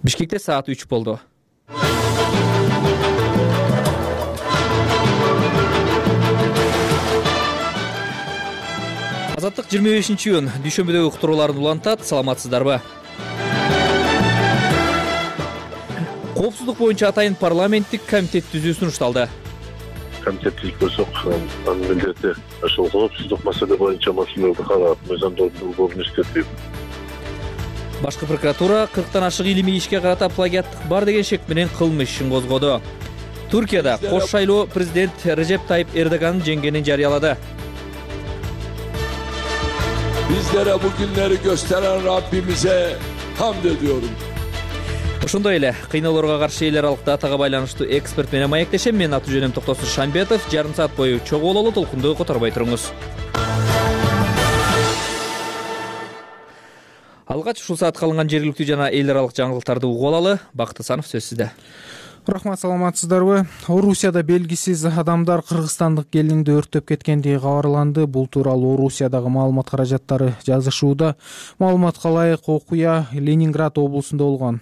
Бишкекте саат 3 болду. Азаттык 25-июнь дүйшөмбүдөгү уктурууларын улантат. Саламатсыздарбы? Коопсуздук боюнча атайын парламенттик комитет түзүү сунушталды. Комитет түзүп койсок, анын милдети ошол коопсуздук маселе боюнча маселелерди карап, мыйзамдоодун иштетип. Башкы прокуратура 40тан ашык илимий ишке карата плагиаттык бар деген шек менен кылмыш ишин козгоду. Туркияда кош шайлоо президент Режеп Тайип Эрдоганын жеңгенин жарыялады. Bizlere bu günleri gösteren Rabbimize hamd ediyorum. Ошондой эле кыйноолорго каршы эл аралык датага байланыштуу эксперт менен маектешем. Мен аты жөнүм Токтосун Шамбетов. Жарым саат бою чогуулуу толкунду которбой туруңуз. Алгач ушул саатка алынган жергиликтүү жана эл аралык жаңылыктарды угуп алалы. Бакыт Асанов сөз сизде. Рахмат, саламатсыздарбы? Орусияда белгисиз адамдар кыргызстандык келинди өрттөп кеткендиги кабарланды. Бул тууралуу Орусиядагы маалымат каражаттары жазышууда. Маалыматка ылайык окуя Ленинград облусунда болгон.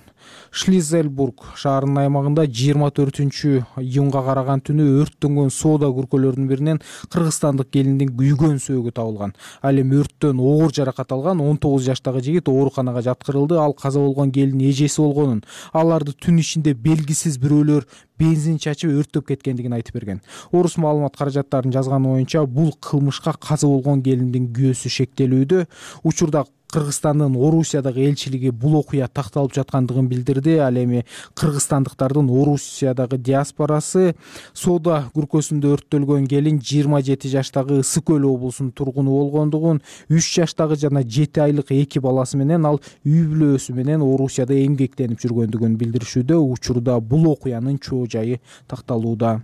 Шлизельбург шаарынын аймагында 24-июнга караган түнү өрттөнгөн соода күркөлөрүнүн биринен кыргызстандык келиндин күйгөн сөөгү табылган. Ал эми өрттөн оор жаракат алган 19 жаштагы жигит ооруканага жаткырылды. Ал каза болгон келин эжеси болгонун, аларды түн ичинде белгисиз бирөөлөр бензин чачып өрттөп кеткендигин айтып берген. Орус маалымат каражаттарынын жазганы боюнча бул кылмышка каза болгон келиндин күйөөсү шектелүүдө. Учурда Кыргызстандын Орусиядагы элчилиги бул окуя такталып жаткандыгын билдирди. Ал эми кыргызстандыктардын Орусиядагы диаспорасы соода күркөсүндө өрттөлгөн келин 27 жаштагы Ысык Көл облусунун тургуну болгондугун, 3 жаштагы жана 7 айлык 2 баласы менен ал үй бүлөсү менен Орусияда эмгектенип жүргөндүгүн билдиришүүдө. Учурда бул окуянын чоо жайы такталууда.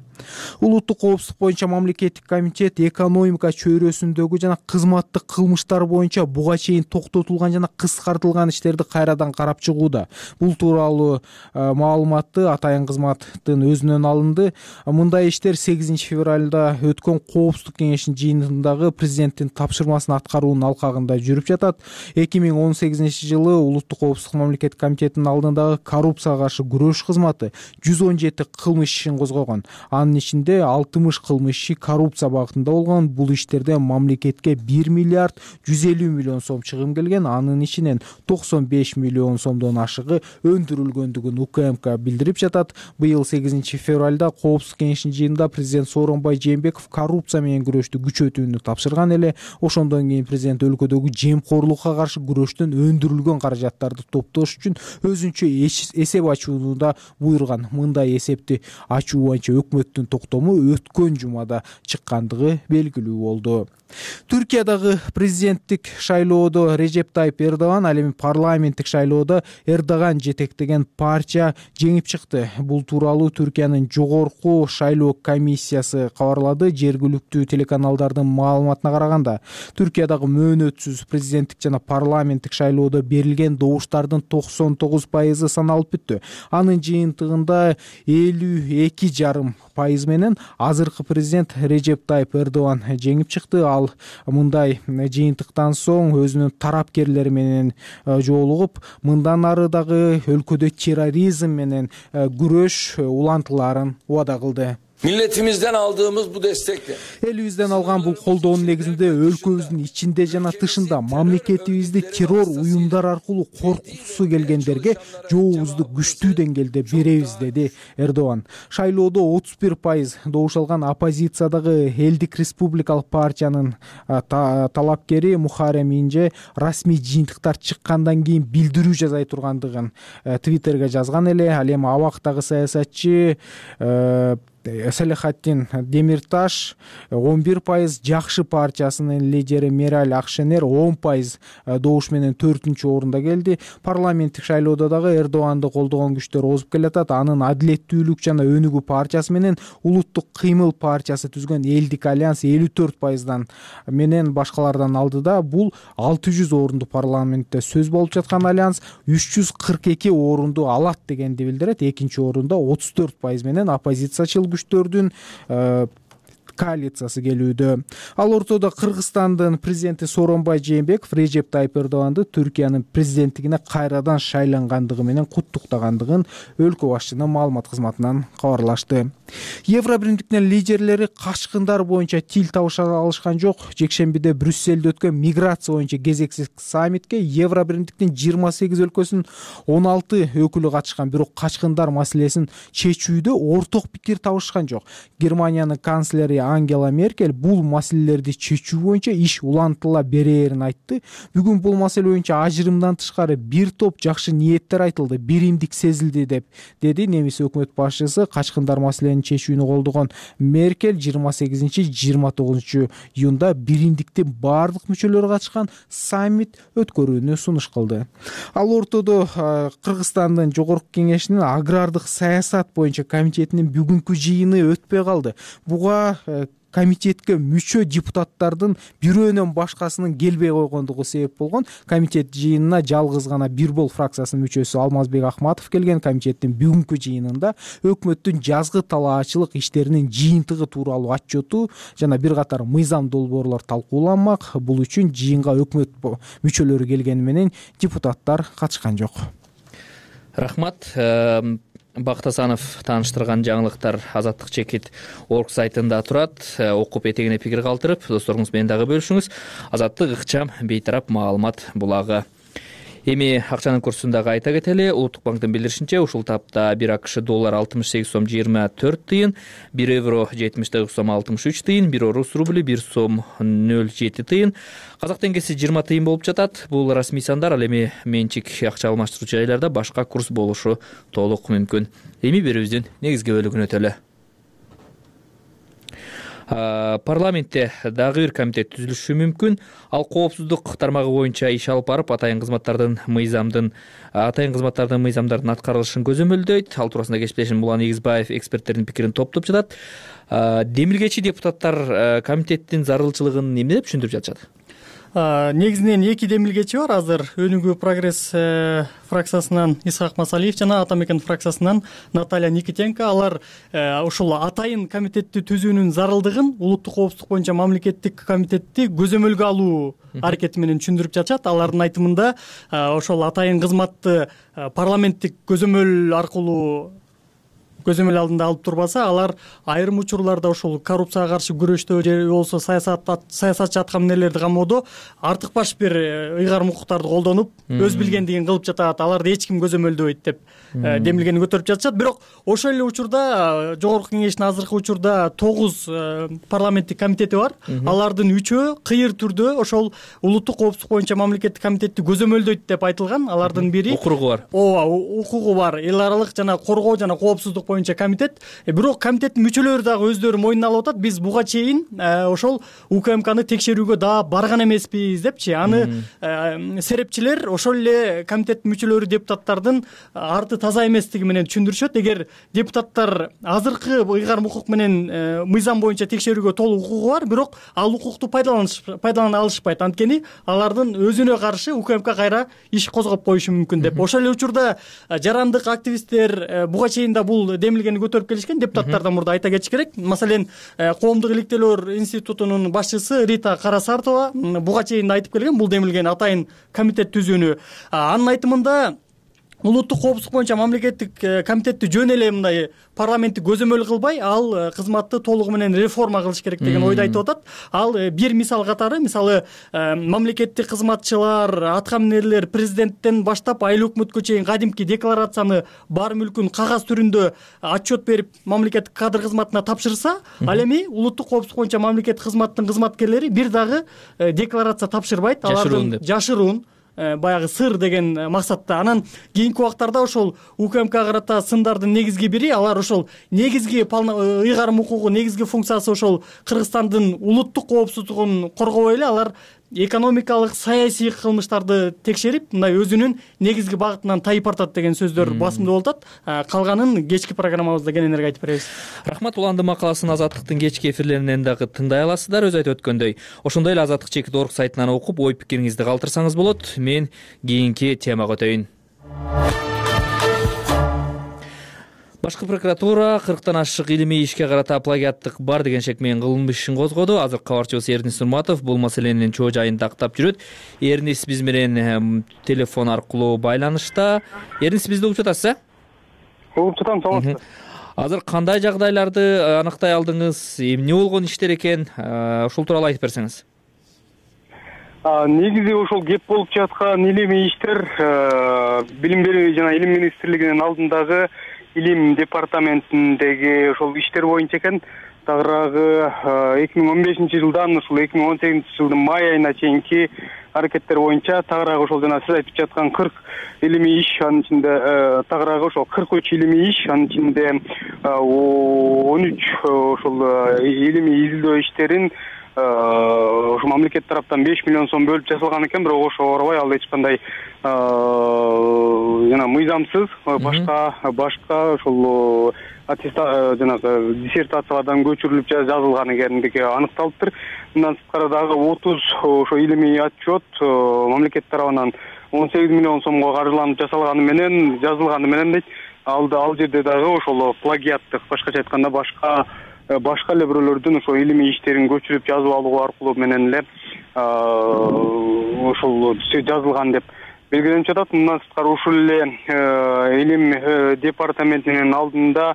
Улуттук коопсуздук боюнча мамлекеттик комитет экономика чөйрөсүндөгү жана кызматтык кылмыштар боюнча буга чейин токтотулган жана кыскартылган иштерди кайрадан карап чыгууда. Бул тууралуу маалыматты атайын кызматтын өзүнөн алынды. Мындай иштер 8 февралда өткөн коопсуздук кеңешинин жыйынындагы президенттин тапшырмасын аткаруунун алкагында жүрүп жатат. 2018 жылы улуттук коопсуздук мамлекеттик комитетинин алдындагы коррупцияга каршы күрөш кызматы 117 кылмыш ишин козгогон. Анын ичинде 60 кылмыш иши коррупция багытында болгон. Бул иштерде мамлекетке 1 миллиард 150 миллион сом чыгым келген. Анын ичинен 95 миллион сомдон ашыгы өндүрүлгөндүгүн УКМК билдирип жатат. Быйыл 8 февралда коопсуздук кеңешинин жыйынында президент Сооронбай Жээнбеков коррупция менен күрөштү күчөтүүнү тапшырган эле. Ошондон кийин президент өлкөдөгү жемкорлукка каршы күрөштөн өндүрүлгөн каражаттарды топтош үчүн өзүнчө эсеп ачууну да буйруган. Мындай эсепти ачуу боюнча өкмөттүн токтому өткөн жумада чыккандыгы белгилүү болду. Түркиядагы президенттик шайлоодо Режеп Тайип Эрдоган, ал эми парламенттик шайлоодо Эрдоган жетектеген партия жеңип чыкты. Бул тууралуу Түркиянын жогорку шайлоо комиссиясы кабарлады. Жергиликтүү телеканалдардын маалыматына караганда, Түркиядагы мөөнөтсүз президенттик жана парламенттик шайлоодо берилген добуштардын 99% саналып бүттү. Анын жыйынтыгында 52,5% менен азыркы президент Режеп Тайип Эрдоган жеңип чыкты. Ал мындай жыйынтыктан соң өзүнүн тарапкерлери менен жолугуп, мындан ары дагы өлкөдө терроризм менен күрөш улантыларын убада кылды. Milletimizden aldığımız bu destekle Элибизден алган бул колдоонун негизинде өлкөбүздүн ичинде жана тышында мамлекетибизди террор уюмдар аркылуу коркуткусу келгендерге жообузду күчтүү деңгээлде беребиз, деди Эрдоган. Шайлоодо 31% добуш алган оппозициядагы Элдик республикалык партиянын талапкери Мухаррем Инже расмий жыйынтыктар чыккандан кийин билдирүү жасай тургандыгын Твиттерге жазган эле. Ал эми абактагы саясатчы Салихаттин Демирташ 11%, Жакшы партиясынын лидери Мераль Акшенер 10% добуш менен 4-орунда келди. Парламенттик шайлоодо дагы Эрдоганды колдогон күчтөр озуп келатат. Анын Адилеттүүлүк жана Өнүгүү партиясы менен Улуттук кыймыл партиясы түзгөн Элдик альянс 54%дан менен башкалардан алдыда. Бул 600 орунду парламентте сөз болуп жаткан альянс 342 орунду алат дегенди билдирет. Экинчи орунда 34% менен оппозициячыл күчтөрдүн коалициясы келүүдө. Ал ортодо Кыргызстандын президенти Сооронбай Жээнбеков Режеп Тайып Эрдоганды Түркиянын президенттигине кайрадан шайлангандыгы менен куттуктагандыгын өлкө башчынын маалымат кызматынан кабарлашты. Евробиримдиктин лидерлери качкындар боюнча тил табыша алышкан жок. Жекшембиде Брюссельде өткөн миграция боюнча кезексиз саммитке Евробиримдиктин 28 өлкөсүнүн 16 өкүлү катышкан, бирок качкындар маселесин чечүүдө орток пикир табышкан жок. Германиянын канцлери Ангела Меркель бул маселелерди чечүү боюнча иш улантыла берээрин айтты. Бүгүн бул маселе боюнча ажырымдан тышкары бир топ жакшы ниеттер айтылды, биримдик сезилди деп деди немис өкмөт башчысы. Качкындар маселени чечүүнү колдогон Меркель 28-29 июнда биримдиктин баардык мүчөлөрү катышкан саммит өткөрүүнү сунуш кылды. Ал ортодо Кыргызстандын Жогорку Кеңешинин агрардык саясат боюнча комитетинин бүгүнкү жыйыны өтпөй калды. Буга комитетке мүчө депутаттардын бирөөнөн башкасынын келбей койгондугу себеп болгон. Комитет жыйынына жалгыз гана Бир Бол фракциясынын мүчөсү Алмазбек Акматов келген. Комитеттин бүгүнкү жыйынында өкмөттүн жазгы талаачылык иштеринин жыйынтыгы тууралуу отчету жана бир катар мыйзам долбоорлор талкууланмак. Бул үчүн жыйынга өкмөт мүчөлөрү келгени менен депутаттар катышкан жок. Рахмат. Бакыт Асанов тааныштырган жаңылыктар Азаттык чекит орг сайтында турат. Окуп этегине пикир калтырып, досторуңуз менен дагы бөлүшүңүз. Азаттык ыкчам бейтарап маалымат булагы. Эми акчанын курсундагы айта кетели. Улуттук банктын билдиришинче, ушул тапта 1 АКШ доллар 68 сом 24 тыйын, 1 евро 79 сом 63 тыйын, 1 орус рубль 1 сом 07 тыйын, казак теңгеси 20 тыйын болуп жатат. Бул расмий сандар, ал эми менчик акча алмаштыруучу жайларда башка курс болушу толук мүмкүн. Эми берүүбүздүн негизги бөлүгүнө өтөлү. Парламентте дагы бир комитет түзүлүшү мүмкүн. Ал коопсуздук тармагы боюнча иш алып барып, атайын кызматтардын мыйзамдардын аткарылышын көзөмөлдөйт. Ал туурасында кесиптешим Улан Эгизбаев эксперттердин пикирин топтоп жатат. Демилгечи депутаттар комитеттин зарылчылыгын эмне деп түшүндүрүп жатышат? Негизинен эки демилгечи бар азыр. Өнүгүү прогресс фракциясынан Исхак Масалиев жана Атамекен фракциясынан Наталья Никитенко. Алар ушул атайын комитетти түзүүнүн зарылдыгын улуттук коопсуздук боюнча мамлекеттик комитетти көзөмөлгө алуу аракети менен түшүндүрүп жатышат. Алардын айтымында ошол атайын кызматты парламенттик көзөмөл аркылуу көзөмөл алдында алып турбаса, алар айрым учурларда ошол коррупцияга каршы күрөштө же болбосо саясатчы аткан эмнелерди камоодо артык баш бир ыйгарым укуктарды колдонуп, өз билгендигин кылып жатат. Аларды эч ким көзөмөлдөбөйт деп демилгени көтөрүп жатышат. Бирок ошол эле учурда Жогорку Кеңештин азыркы учурда 9 парламенттик комитети бар. Алардын 3-өө кыйыр түрдө ошол улуттук коопсуздук боюнча мамлекеттик комитетти көзөмөлдөйт деп айтылган. Алардын бири укугу бар. Укугу бар. Эл аралык жана коргоо жана коопсуздук боюнча комитет. Бирок комитеттин мүчөлөрү дагы өздөрү мойнуна алып атат. Биз буга чейин ошол УКМКны текшерүүгө дагы барган эмеспиз депчи. Аны серепчилер ошол эле комитеттин мүчөлөрү депутаттардын арты таза эместиги менен түшүндүрүшөт. Эгер депутаттар азыркы ыйгарым укук менен мыйзам боюнча текшерүүгө толук укугу бар, бирок ал укукту пайдалана алышпайт. Анткени алардын өзүнө каршы УКМК кайра иш козгоп коюшу мүмкүн деп. Ошол эле учурда жарандык активисттер буга чейин да бул демилгени көтөрүп келишкен. Депутаттардан мурда айта кетиш керек. Маселен, Коомдук иликтөөлөр институтунун башчысы Рита Карасартова буга чейин айтып келген бул демилгени атайын комитет түзүүнү. Анын айтымында улуттук коопсуздук боюнча мамлекеттик комитетти жөн эле мындай парламентти көзөмөл кылбай, ал кызматты толугу менен реформа кылыш керек деген ойду айтып атат. Ал бир мисал катары, мисалы мамлекеттик кызматчылар, аткаминерлер президенттен баштап айыл өкмөткө чейин кадимки декларацияны бар мүлкүн кагаз түрүндө отчет берип мамлекеттик кадр кызматына тапшырса, ал эми улуттук коопсуздук боюнча мамлекеттик кызматтын кызматкерлери бир дагы декларация тапшырбайт. Алардын жашыруун баягы сыр деген максатта. Анан кийинки убактарда ошол УКМК карата сындардын негизги бири, алар ошол негизги ыйгарым укугу негизги функциясы ошол Кыргызстандын улуттук коопсуздугун коргобой эле, алар экономикалык, саясий кылмыштарды текшерип, мындай өзүнүн негизги багытынан тайып артат деген сөздөр басымдуу болуп атат. Калганын кечки программабызда кененирээк айтып беребиз. Рахмат. Уландын макаласын Азаттыктын кечки эфирлеринен дагы тыңдай аласыздар. Өзү айтып өткөндөй, ошондой эле Азаттык чекит орг сайтынан окуп, ой пикириңизди калтырсаңыз болот. Мен кийинки темага өтөйүн. Башкы прокуратура 40тан ашык илимий ишке карата плагиаттык бар деген шек менен кылмыш ишин козгоду. Азыр кабарчыбыз Эрнис Нурматов бул маселенин чоо жайын тактап жүрөт. Эрнис биз менен телефон аркылуу байланышта. Эрнис, бизди угуп жатасыз, Угуп жатам, саламатсызбы? Азыр кандай жагдайларды аныктай алдыңыз, эмне болгон иштер экен, ушул тууралуу айтып берсеңиз. Негизи ошол кеп болуп жаткан илимий иштер билим берүү жана илим министрлигинин алдындагы илим департаментиндеги ошол иштер боюнча экен. Тагыраагы 2015-жылдан ушул 2018-жылдын май айына чейинки аракеттер боюнча тагыраагы ошол жана сиз айтып жаткан 40 илимий иш, анын ичинде тагыраагы ошол 43 илимий иш, анын ичинде 13 ошол илимий изилдөө иштерин ошо мамлекет тараптан 5 миллион сом бөлүп жасалган экен, бирок ошого карабай ал эч кандай жана мыйзамсыз башка ошол жанагы диссертациялардан көчүрүлүп жазылган экендиги аныкталыптыр. Мындан сырткары дагы 30 ошо илимий отчет мамлекет тарабынан 18 миллион сомго каржыланып жазылганы менен дейт. Ал жерде дагы ошол плагиаттык, башкача айтканда башка эле бирөөлөрдүн ошо илимий иштерин көчүрүп жазып алуу аркылуу менен эле ошол жазылган деп белгиленип жатат. Мындан сырткары ушул эле илим департаментинин алдында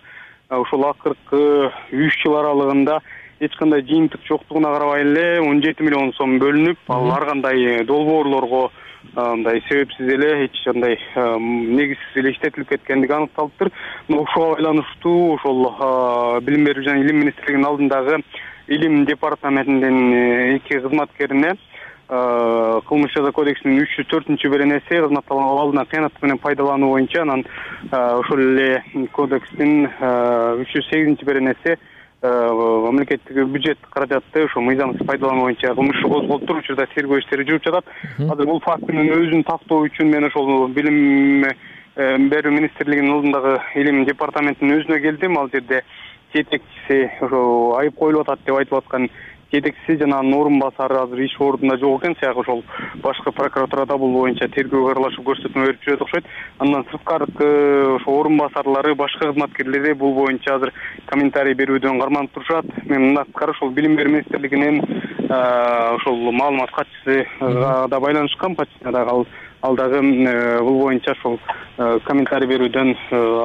ошол акыркы 3 жыл аралыгында эч кандай жыйынтык жоктугуна карабай эле 17 миллион сом бөлүнүп, ал ар кандай долбоорлорго мындай себепсиз эле эч кандай негизсиз эле иштетилип кеткендиги аныкталыптыр. Ошого байланыштуу ошол билим берүү жана илим министрлигинин алдындагы илим департаментинин 2 кызматкерине кылмыш жаза кодексинин 304-беренеси кызмат абалына кыянат менен пайдалануу боюнча, анан ошол эле кодекстин 308-беренеси мамлекеттик бюджет каражатты ошо мыйзамсыз пайдалануу боюнча кылмыш иши козголуптур. Учурда тергөө иштери жүрүп жатат. Азыр бул фактынын өзүн тактоо үчүн мен ошол билим берүү министрлигинин алдындагы илим департаментинин өзүнө келдим. Ал жерде жетекчиси ошо айып коюлуп атат деп айтып аткан жетекчиси жана анын орун басары азыр иш ордунда жок экен. Сыяк ошол башкы прокуратурада бул боюнча тергөөгө аралашып көрсөтмө берип жүрөт окшойт. Андан сырткаркы ошо орун басарлары, башка кызматкерлери бул боюнча азыр комментарий берүүдөн карманып турушат. Мен мындан сырткары ошол билим берүү министрлигинин ошол маалымат катчысына да байланышкам, ал дагы бул боюнча ошол комментарий берүүдөн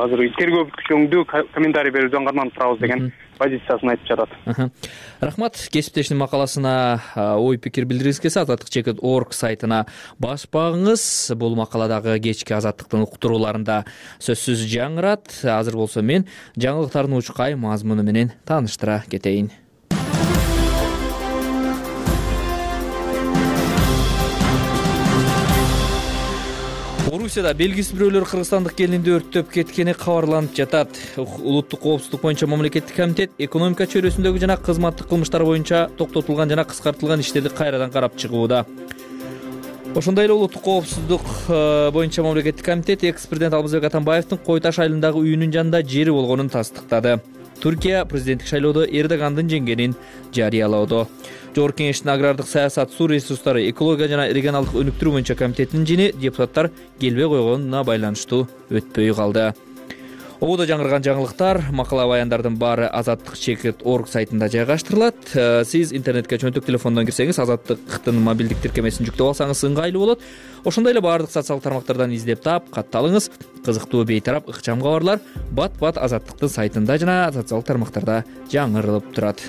азыр тергөө бүткүчөңдү комментарий берүүдөн карманып турабыз деген позициясын айтып жатат. Рахмат. Кесиптештин макаласына ой пикир билдиргиңиз келсе azatlyk.org сайтына басып багыңыз. Бул макала дагы кечки Азаттыктын уктурууларында сөзсүз жаңырат. Азыр болсо мен жаңылыктардын учкай мазмуну менен тааныштыра кетейин. Орусияда белгисиз бирөөлөр кыргызстандык келинди өрттөп кеткени кабарланып жатат. Улуттук коопсуздук боюнча мамлекеттик комитет экономика чөйрөсүндөгү жана кызматтык кылмыштар боюнча токтотулган жана кыскартылган иштерди кайрадан карап чыгууда. Ошондой эле улуттук коопсуздук боюнча мамлекеттик комитет экс-президент Алмазбек Атамбаевдин Кой Таш айылындагы үйүнүн жанында жери болгонун тастыктады. Туркия президенттик шайлоодо Эрдогандын жеңгенин жарыялоодо. Жогорку кеңештин агрардык саясат, суу ресурстары, экология жана регионалдык өнүктүрүү боюнча комитетинин жини депутаттар келбей койгонуна байланыштуу өтпөй калды. Ободо жаңырган жаңылыктар, макала баяндардын баары azatlyk.org сайтында жайгаштырылат. Сиз интернетке чөнтөк телефондон кирсеңиз, Азаттыктын мобилдик тиркемесин жүктөп алсаңыз ыңгайлуу болот. Ошондой эле баардык социалдык тармактардан издеп таап, катталыңыз. Кызыктуу, бейтарап, ыкчам кабарлар бат-бат Азаттыктын сайтында жана социалдык тармактарда жаңырылып турат.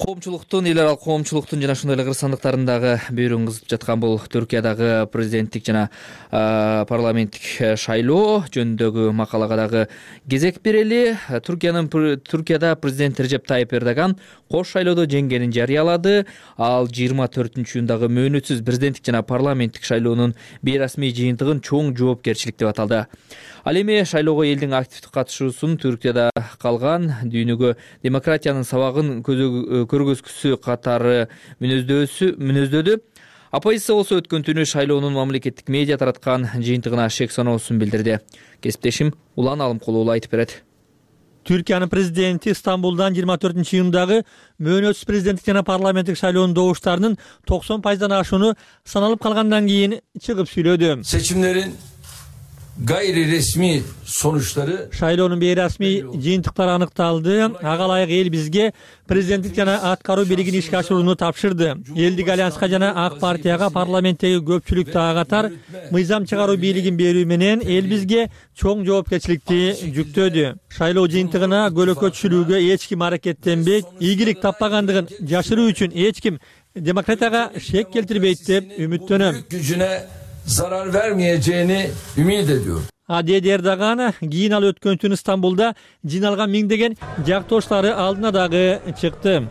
Коомчулуктун, эл аралык коомчулуктун жана ошондой эле кыргызстандыктардын бөөрүн кызытып жаткан бул Түркиядагы президенттик жана парламенттик шайлоо жөнүндөгү макалага дагы кезек берели. Түркияда президент Режеп Тайип Эрдоган кош шайлоодо жеңгенин жарыялады. Ал 24-июндагы мөөнөтсүз президенттик жана парламенттик шайлоонун бейрасмий жыйынтыгын чоң жоопкерчилик деп аталды. Ал эми шайлоого элдин активдүү катышуусун Түркияда калган дүйнөгө демократиянын сабагын көргөзгүсү катары мүнөздөөдү. Оппозиция болсо өткөн түнү шайлоонун мамлекеттик медиа тараткан жыйынтыгына шек саноосун билдирди. Кесиптешим Улан Алымкулуу айтып берет. Түркиянын президенти Стамбулдан 24-июндагы мөөнөтсүз президенттик жана парламенттик шайлоонун добуштарынын 90% ашууну саналып калгандан кийин чыгып сүйлөдү. Seçimlerin gayri resmi sonuçları Шайлоонун бейрасмий жыйынтыктары аныкталды. Ага ылайык эл бизге президенттик жана аткаруу бийлигин ишке ашырууну тапшырды. Элдик альянска жана ак партияга парламенттеги көпчүлүк дагы катар мыйзам чыгаруу бийлигин берүү менен эл бизге чоң жоопкерчиликти жүктөдү. Шайлоо жыйынтыгына көлөкө түшүрүүгө эч ким аракеттенбейт, ийгилик таппагандыгын жашыруу үчүн эч ким демократияга шек келтирбейт деп үмүттөнөм. gücüne zarar vermeyeceğini ümit ediyorum. Dedi Эрдоган кийин ал өткөн түнү Стамбулда жыйналган миңдеген жактоштары алдына дагы чыкты.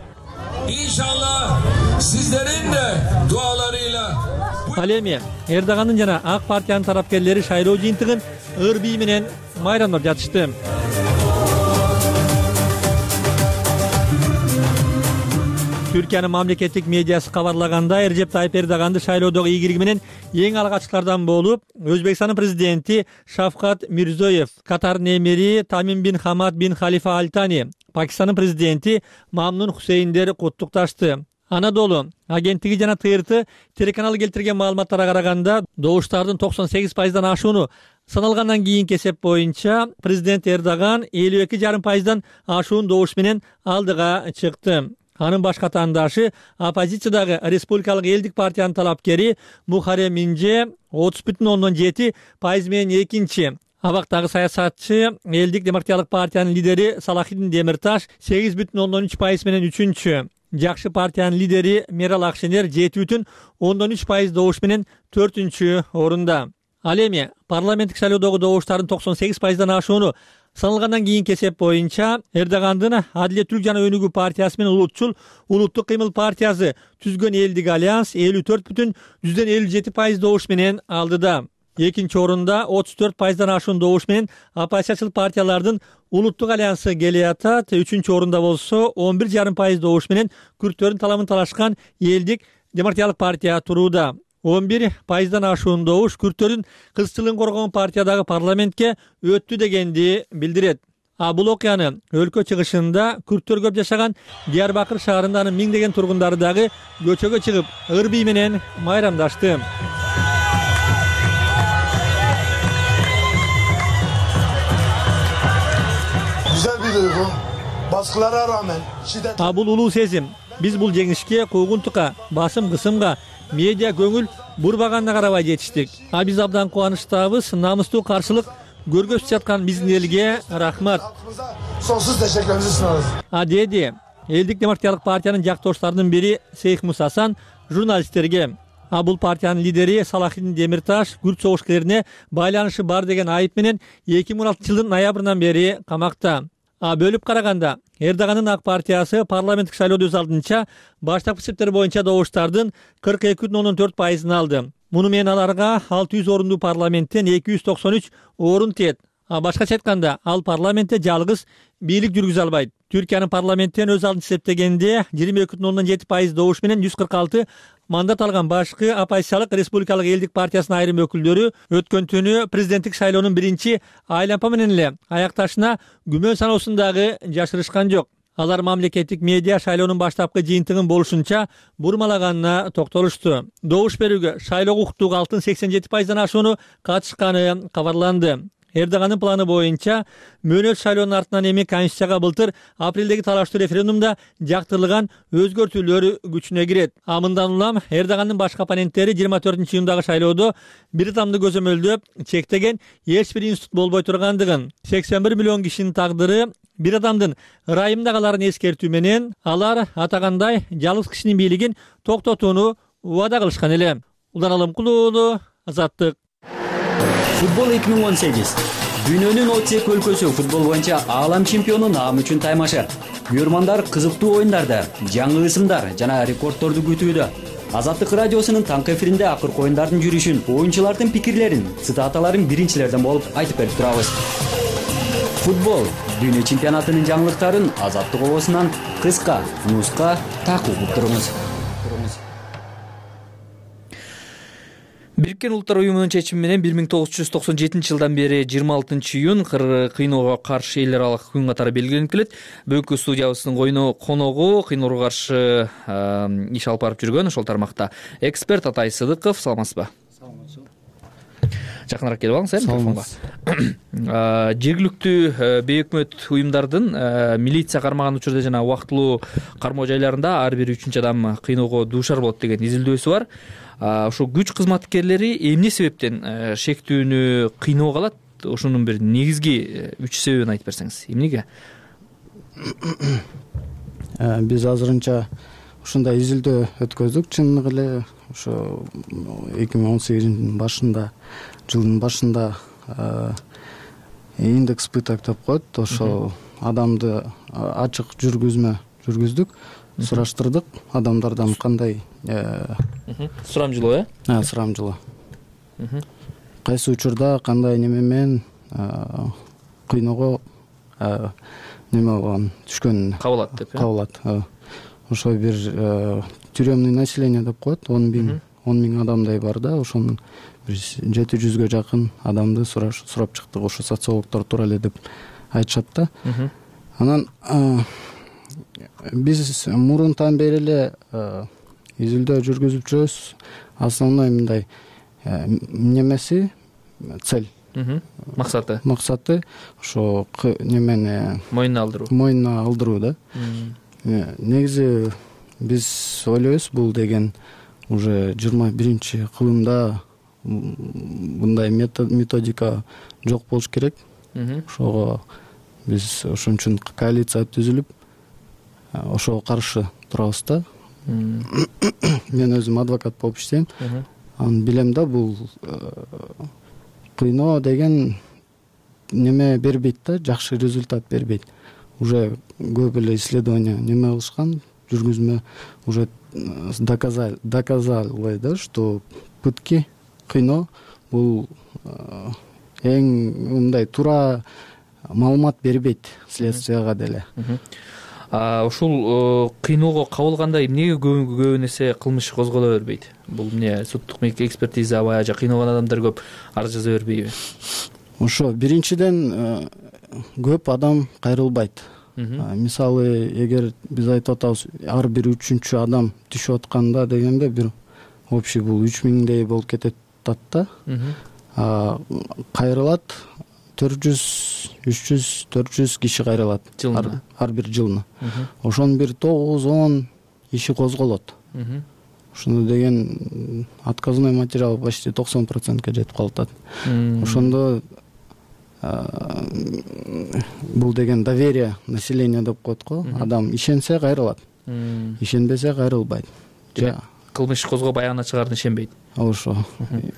İnşallah sizlerin de dualarıyla Ал эми Эрдогандын жана ак партиянын тарапкерлери шайлоо жыйынтыгын ыр бий менен майрамдап жатышты. Türkiýanын мамлекеттик медиасы кабарлаганда Режеп Тайып Эрдоганды шайлоодогу ийгилиги менен эң алгачкылардан болуп, Өзбекстандын президенти Шавкат Мирзиёев, Катардын эмири Тамим бин Хамад бин Халифа Аль Тани, Пакистандын президенти Мамнун Хусейндер куттукташты. Анадолу агенттиги жана ТРТ телеканалы келтирген маалыматтарга караганда, добуштардын 98%дан ашууну саналгандан кийинки эсеп боюнча президент Эрдоган 52,5%дан ашуун добуш менен алдыга чыкты. Анын баш катандашы оппозициядагы Республикалык элдик партиянын талапкери Мухаррем Инже 30,7% менен экинчи. Абактагы саясатчы элдик демократиялык партиянын лидери Салахиддин Демирташ 8,13% менен үчүнчү. Жакшы партиянын лидери Мерал Акшенер 7,13% добуш менен 4-чү орунда. Ал эми парламенттик шайлоодогу добуштардын 98%дан ашууну саналгандан кийинки эсеп боюнча Эрдогандын Адилеттүүлүк жана Өнүгүү партиясы менен улутчул Улуттук кыймыл партиясы түзгөн элдик альянс 54,57% добуш менен алдыда. Экинчи орунда 34%дан ашуун добуш менен оппозициячыл партиялардын Улуттук альянсы келе атат. Үчүнчү орунда болсо 11,5% добуш менен күрттөрдүн таламын талашкан элдик демократиялык партия турууда. 11%дан ашуун добуш күрттөрдүн кызчылыгын коргогон партиядагы парламентке өттү дегенди билдирет. Бул окуяны өлкө чыгышында күрттөр көп жашаган Диярбакыр шаарынын миңдеген тургундары дагы көчөгө чыгып ыр бий менен майрамдашты. Güzel bir duygu. Baskılara rağmen şiddet... Бул улуу сезим. Биз бул жеңишке куугунтукка, басым кысымга, медиа көңүл бурбаганына карабай жетиштик. Биз абдан кубанычтабыз. Намыстуу каршылык көргөзүп жаткан биздин элге рахмат. Sonsuz teşekkürlerimizi sunarız. Деди элдик демократиялык партиянын жактоштарынын бири Сейх Мусасан журналисттерге. Бул партиянын лидери Салахиддин Демирташ күрт согушкерлерине байланышы бар деген айып менен 2016-жылдын ноябрынан бери камакта. Бөлүп караганда Эрдогандын ак партиясы парламенттик шайлоодо өз алдынча баштапкы эсептер боюнча добуштардын 42,14%-ын алды. Муну менен аларга 600 орундуу парламенттен 293 орун тиет. Башкача айтканда, ал парламентте жалгыз бийлик жүргүзө албайт. Түркиянын парламенттен өз алдын эсептегенде 22,7% добуш менен 146 мандат алган башкы оппозициялык Республикалык элдик партиясынын айрым өкүлдөрү өткөн түнү президенттик шайлоонун биринчи айлампа менен эле аякташына күмөн саноосундагы жашырышкан жок. Алар мамлекеттик медиа шайлоонун баштапкы жыйынтыгын болушунча бурмалаганына токтолушту. Добуш берүүгө шайлоого укуктуу калктын 87%дан ашууну катышканы кабарланды. Эрдогандын планы боюнча мөөнөт шайлоонун артынан эми Конституцияга былтыр апрелдеги талаштуу референдумда жактырылган өзгөртүүлөр күчүнө кирет. Мындан улам Эрдогандын башкы оппоненттери 24-июндагы шайлоодо бир адамды көзөмөлдөп чектеген эч бир институт болбой тургандыгын, 81 миллион кишинин тагдыры бир адамдын ырайымдагыларын эскертүү менен алар атагандай жалгыз кишинин бийлигин токтотууну убада кылышкан эле. Улан Алымкулуу уулу, Азаттык. Футбол 2018. Дүйнөнүн 32 өлкөсү футбол боюнча аалам чемпиону наам үчүн таймашы. Күйөрмандар кызыктуу оюндарда, жаңы ысымдар жана рекордторду күтүүдө. Азаттык радиосунун таңкы эфиринде акыркы оюндардын жүрүшүн, оюнчулардын пикирлерин, цитаталарын биринчилерден болуп айтып берип турабыз. Футбол дүйнө чемпионатынын жаңылыктарын Азаттык обосунан кыска, нуска такып уктуруңуз. Бириккен Улуттар уюмунун чечими менен 1997-жылдан бери 26-июнь кыйноого каршы элдер аралык күн катары белгиленип келет. Бүгүнкү студиябыздын коногу кыйноого каршы иш алып барып жүргөн ошол тармакта эксперт Атай Сыдыков. Саламатсызбы? Саламатсызбы. Жакыныраак келип алыңыз, микрофонго. Жергиликтүү бейөкмөт уюмдардын милиция кармаган учурда жана убактылуу кармоо жайларында ар бир 3-чү адам кыйноого дуушар болот деген изилдөөсү бар. Ошо күч кызматкерлери эмне себептен шектүүнү кыйноого алат? Ошонун бир негизги 3 себебин айтып берсеңиз. Эмнеге? Биз азырынча ушундай изилдөө өткөздүк. Чындыгы эле ошо 2018 жылдын башында индекс пыток деп коет. Ошо адамды ачык жүргүздүк. Сураштырдык адамдардан кандай сурамжылоо, сурамжылоо. Кайсы учурда кандай неме менен кыйноого неме болгон түшкөн кабылат деп. Кабылат. Ошо бир тюремный население деп коет. 10 миң адамдай бар да, ошонун бир 700гө жакын адамды сурап чыктык. Ошо социологдор туура эле деп айтышат да. Анан биз мурунтан бери эле изилдөө жүргүзүп жүрөбүз. Основной мындай немеси, цель, максаты ошо немени мойнуна алдыруу да. Негизи биз ойлойбуз, бул деген уже 21-кылымда мындай методика жок болуш керек. Ошого биз ошон үчүн коалиция түзүлүп, ошого каршы турабыз да. Мен өзүм адвокат болуп иштейм. Аны билем да, бул кыйноо деген неме бербейт да, жакшы результат бербейт. Уже көп эле исследование неме кылышкан, жүргүзмө уже доказали да, что пытки, кыйноо бул эң мындай туура маалымат бербейт следствияга деле. Ушул кыйноого кабылганда эмнеге көбүн эсе кылмыш козголо бербейт? Бул эмне, суттук экспертиза баягы кыйналган адамдар көп арыз жаза бербейби? Ошо биринчиден көп адам кайрылбайт. Мисалы, эгер биз айтып атабыз, ар бир 3-чү адам түшүп атканда дегенде бир общий бул 3000дей болуп кетет да. Кайрылат 400-300-400 киши кайрылат ар бир жылына. Ошонун бир 9-10 иши козголот. Ошондо деген отказной материал почти 90%га жетип калат. Ошондо бул деген доверие населения деп коет го. Адам ишенсе кайрылат, ишенбесе кайрылбайт. Кылмыш козгоп аягына чыгарын ишенбейт. Ошо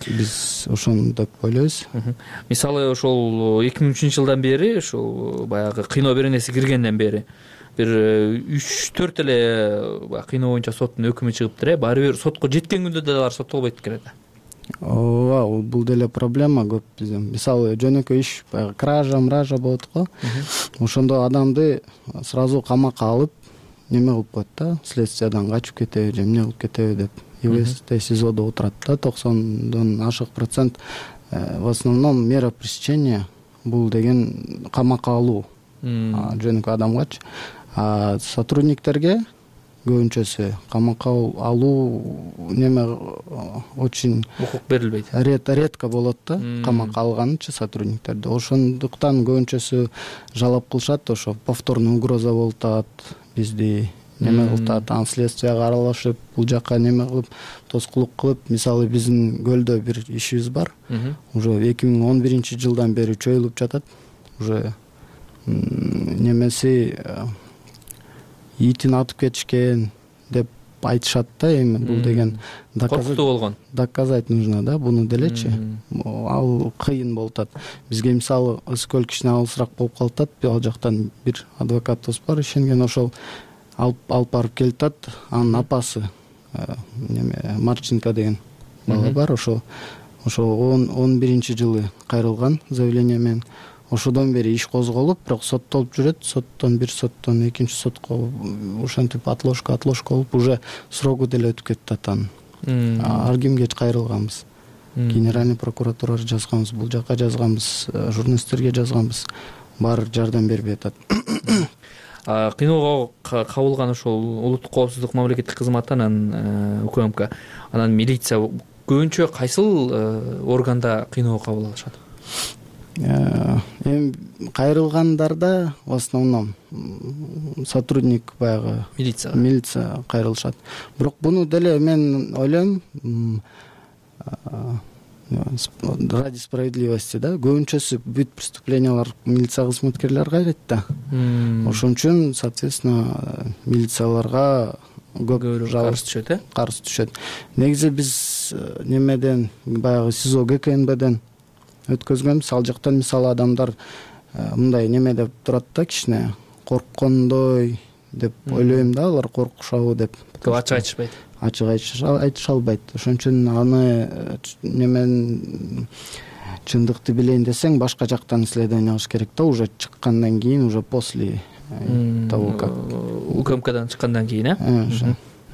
биз ошону деп ойлойбуз. Мисалы, ошол 2003-жылдан бери, ошол баягы кыйноо беренеси киргенден бери бир 3-4 эле кыйноо боюнча соттун өкүмү чыгыптыр. Баары бир сотко жеткен күндө да алар соттолбойт экен да. Ооба, бул деле проблема көп биздин. Мисалы, жөнөкөй иш, баягы кража болот го. Ошондо адамды сразу камакка алып, неме кылып коет да, следствиядан качып кетеби же эмне кылып кетеби деп. ИВС СИЗОдо отурат да, 90-дан ашык процент. В основном мера пресечения бул деген камакка алуу, жөнөкөй адамгачы. Сотрудниктерге көбүнчөсү камакка алуу неме очень укук берилбейт. Редко болот да, камакка алганычы сотрудниктерди. Ошондуктан көбүнчөсү жалап кылышат, ошо повторный угроза болуп атат, бизди неме кылып атат, следствияга аралашып, бул жака неме кылып, тоскулук кылып. Мисалы, биздин көлдө бир ишибиз бар. Уже 2011-жылдан бери чөйүлүп жатат. Уже немеси итин атып кетишкен деп айтышат да. Эми бул деген коркутуу болгон. Доказать нужно да, буну делечи. Ал кыйын болуп атат. Бизге мисалы Ысык өл кичине алысыраак болуп калып атат. Ал жактан бир адвокатыбыз бар, ишенген, ошол алып барып келип атат. Анын апасы неме Марченко деген бала бар. Ошо 11-жылы кайрылган заявление менен. Ошодон бери иш козголуп, бирок соттолуп жүрөт. Соттон экинчи сотко ошентип отложка болуп, уже срогу деле өтүп кетти атанын. Ар кимге кайрылганбыз. Генеральный прокуратурага жазганбыз, бул жака жазганбыз, журналисттерге жазганбыз, баары жардам бербей атат. Кыйноого кабылган ошол улуттук коопсуздук мамлекеттик кызматы анан УКМК анан милиция көбүнчө кайсыл органда кыйноого кабыл алышат? Эми кайрылгандарда в основном сотрудник баягы милиция кайрылышат. Бирок буну деле мен ойлойм ради справедливости көбүнчөсү бүт преступлениялар милиция кызматкерлери кайрайт да. Ошон үчүн соответственно милицияларга көп каршы түшөт. Негизи биз немеден баягы СИЗО ГКНБден өткөзгөнбүз. Ал жактан мисалы адамдар мындай неме деп турат да, кичине корккондой деп ойлойм да, алар коркушабы деп. Ачык айтышпайт. Ачык айтыша албайт. Ошон үчүн аны немен чындыкты билейин десең, башка жактан исследование кылыш керек да, уже чыккандан кийин, уже после того как УКМКдан чыккандан кийин,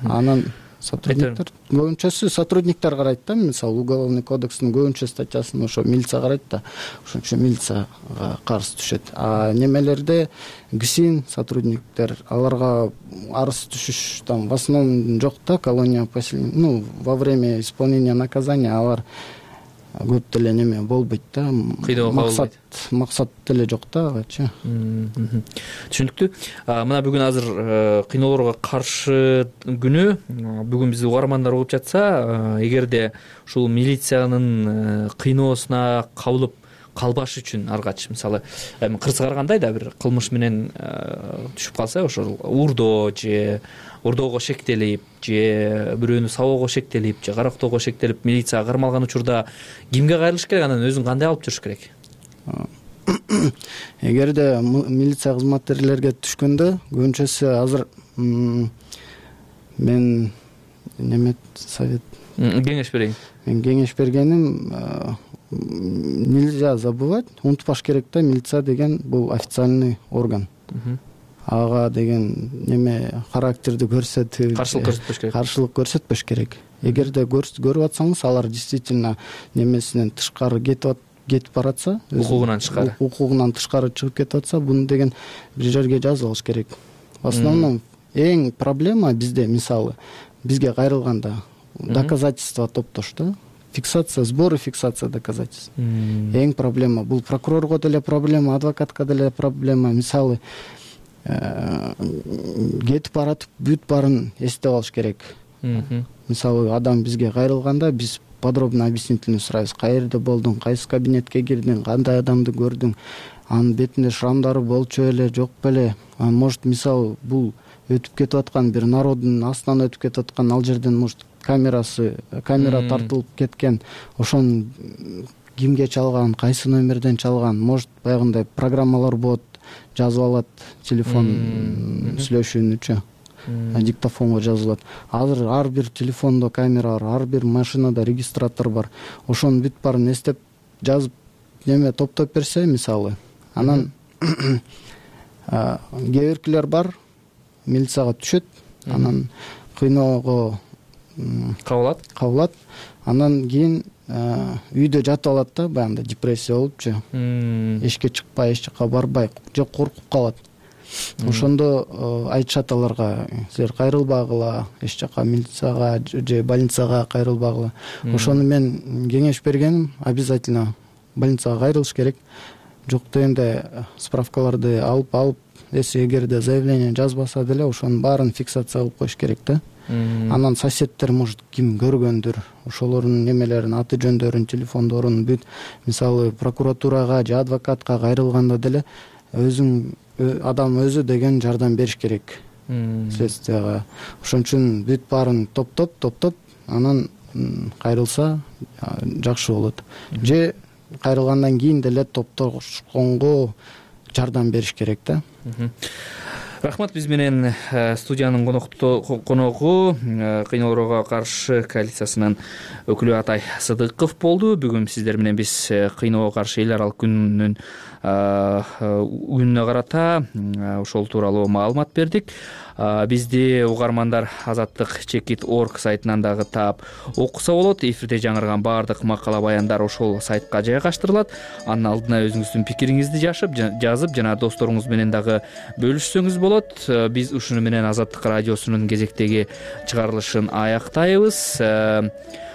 анан сотрудниктер көбүнчөсү сотрудниктер карайт да. Мисалы уголовный кодекстин көбүнчө статьясын ошо милиция карайт да. Ошон үчүн милицияга каршы түшөт. А немелерде ГСИН сотрудниктер, аларга арыз түшүш там в основном жок да. Колония поселения, во время исполнения наказания алар көп деле неме болбойт да. Максат деле жок да агачы. Түшүнүктүү. Мына бүгүн азыр кыйноолорго каршы күнү. Бүгүн бизди угармандар угуп жатса, эгерде ушул милициянын кыйноосуна кабылып калбаш үчүн аргач, мисалы кырсык карагандай да бир кылмыш менен түшүп калса, ошол уурдоо же ордоого шектелип, же бирөөнү сабоого шектелип, же карактоого шектелип милицияга кармалган учурда кимге кайрылыш керек, анан өзүн кандай алып жүрүш керек? Эгерде милиция кызматкерлерге түшкөндө көбүнчөсү азыр мен неме совет кеңеш берейин. Мен кеңеш бергеним нельзя забывать, унутпаш керек да, милиция деген бул официальный орган. Ага деген неме характерди көрсөтүп, каршылык көрсөтпөш керек. Эгерде көрүп атсаңыз, алар действительно немесинен тышкары кетип баратса, укугунан тышкары чыгып кетип атса, буну деген бир жерге жазып алыш керек. В основном эң проблема бизде, мисалы, бизге кайрылганда доказательства топтош да. Фиксация, сбор и фиксация доказательств. Эң проблема. Бул прокурорго деле проблема, адвокатка деле проблема. Мисалы, кетип баратып бүт баарын эстеп алыш керек. Мисалы, адам бизге кайрылганда биз подробно объяснительный сурайбыз. Каерде болдуң, кайсы кабинетке кирдиң, кандай адамды көрдүң, анын бетинде шрамдары болчу беле, жок беле. Может, мисалы, бул өтүп кетип аткан бир народдун астынан өтүп кетип аткан, ал жерден может камера тартылып кеткен, ошон кимге чалган, кайсы номерден чалган, может баягындай программалар болот, жазып алат телефон сүйлөшүүнүчү, диктофонго жазылат. Азыр ар бир телефондо камера бар, ар бир машинада регистратор бар. Ошонун бүт баарын эстеп жазып неме топтоп берсе, мисалы, анан кээ бар, милицияга түшөт, анан кыйноого кабылат, анан кийин үйдө жатып алат да, баягындай депрессия болупчу, эшикке чыкпай, эч жака барбай, же коркуп калат. Ошондо айтышат аларга, силер кайрылбагыла, эч жака милицияга же больницага кайрылбагыла. Ошону мен кеңеш бергеним, обязательно больницага кайрылыш керек. Жок дегенде справкаларды алып, эгерде заявление жазбаса деле, ошонун баарын фиксация кылып коюш керек да. Анан соседтер, может, ким көргөндүр, ошолордун немелерин, аты жөндөрүн, телефондорун бүт, мисалы, прокуратурага же адвокатка кайрылганда деле адам өзү деген жардам бериш керек следствияга. Ошон үчүн бүт баарын топтоп, анан кайрылса жакшы болот. Же кайрылгандан кийин деле топтошконго жардам бериш керек да. Рахмат, биз менен студиянын коногу кыйноолорго каршы коалициясынын өкүлү Атай Сыдыков болду. Бүгүн сиздер менен биз кыйноого каршы эл аралык күнүнө карата ошол тууралуу маалымат бердик. Бизди угармандар azattik.org сайтынан дагы таап окуса болот. Эфирде жаңырган баардык макала баяндар ошол сайтка жайгаштырылат. Анын алдына өзүңүздүн пикириңизди жазып жана досторуңуз менен дагы бөлүшсөңүз болот. Биз ушуну менен Азаттык радиосунун кезектеги чыгарылышын аяктайбыз.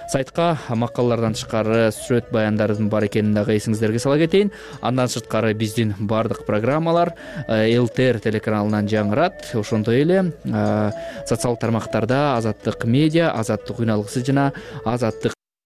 Сайтка макалалардан тышкары сүрөт баяндардын бар экенин дагы эсиңиздерге сала кетейин. Андан сырткары биздин бардык программалар ЛТР телеканалынан жаңырат. Ошондой эле социалдык тармактарда Азаттык медиа, Азаттык үн алгысы жана Азаттык